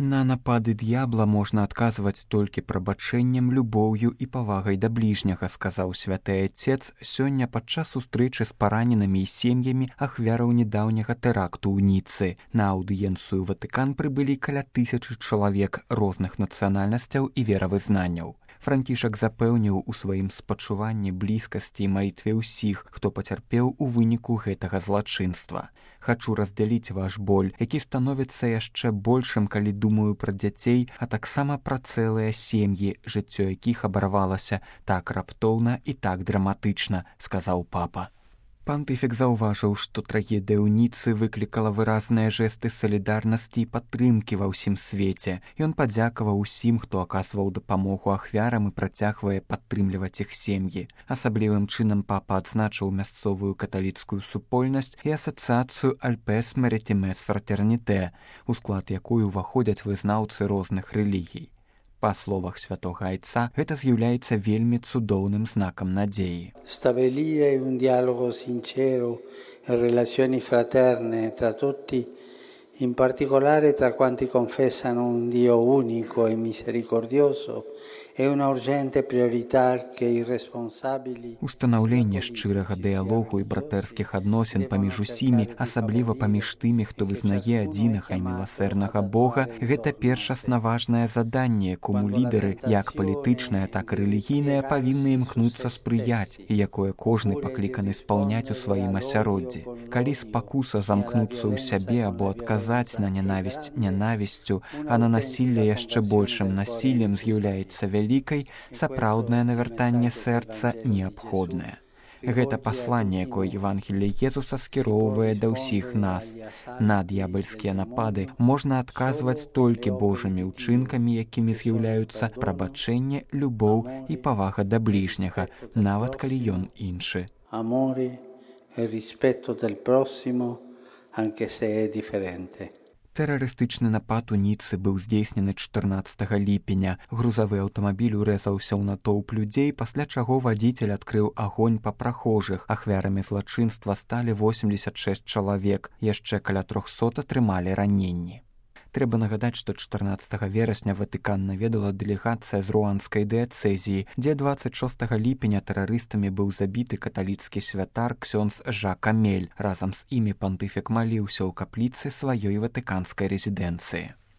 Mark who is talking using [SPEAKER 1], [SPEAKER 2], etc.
[SPEAKER 1] На напады д'ябла можна адказваць толькі прабачэннем, любоўю і павагай да бліжняга, сказаў святы айцец сёння падчас сустрэчы з параненымі і сем'ямі ахвяраў нядаўняга тэракту ў Ніцы. На аўдыенцыю Ватыкан прыбылі каля 1000 чалавек розных нацыянальнасцяў і веравызнанняў. Францішак запэўніў у сваім спачуванні, блізкасці і малітве ўсіх, хто пацярпеў у выніку гэтага злачынства. Хачу раздзяліць ваш боль, які становіцца яшчэ большым, калі думаю пра дзяцей, а таксама пра цэлыя сем'і, жыццё якіх абарвалася так раптоўна і так драматычна, сказаў папа. Пантыфік заўважыў, што трагедыя ў Ніцы выклікала выразныя жэсты салідарнасці і падтрымкі ва ўсім свеце. Ён падзякаваў усім, хто аказваў дапамогу ахвярам і працягвае падтрымліваць іх сем'і. Асаблівым чынам папа адзначыў мясцовую каталіцкую супольнасць і асацыяцыю Альпес Марітімес Фратерніте, у склад якой уваходзяць вызнаўцы розных рэлігій. Па словах святога айца, гэта з'яўляецца вельмі цудоўным знакам надзеі.
[SPEAKER 2] Stabilire un dialogo sincero e relazioni fraterne tra tutti, in particolare tra quanti confessano un Dio unico e misericordioso, è una urgente priorità che i responsabili...
[SPEAKER 1] Устанаўленне шчырага дыялогу і братэрскіх адносін паміж усімі, асабліва паміж тымі, хто вызнае адзінага і міласэрнага Бога, гэта першасна важнае заданне, якому лідары, як палітычныя, так і рэлігійныя, павінны імкнуцца спрыяць, і якое кожны пакліканы спаўняць у сваім асяроддзі. Калі спакуса замкнуцца ў сябе або адказаць на нянавісць нянавісцю, а на насілле яшчэ большым насіллем з'яўляецца вялікай, сапраўднае навяртанне сэрца неабходнае. Гэта пасланне, якое Евангелле Езуса скіроўвае да ўсіх нас. На д'ябальскія напады можна адказваць толькі Божымі ўчынкамі, якімі з'яўляюцца прабачэнне, любоў і павага да бліжняга, нават калі ён іншы.
[SPEAKER 2] Amore e rispetto del prossimo, anche se è differente.
[SPEAKER 1] Тэрарыстычны напад у Ніцы быў здзейснены 14 ліпеня. Грузавы аўтамабіль урэзаўся ў натоўп людзей, пасля чаго вадзіцель адкрыў агонь па прахожых. Ахвярамі злачынства сталі 86 чалавек, яшчэ каля 300 атрымалі раненні. Трэба нагадаць, што 14 верасня Ватыкан наведала дэлегацыя з руанскай дыяцэзіі, дзе 26 ліпеня тэрарыстамі быў забіты каталіцкі святар ксёндз Жак Амель. Разам з імі пантыфік маліўся ў капліцы сваёй ватыканскай рэзідэнцыі.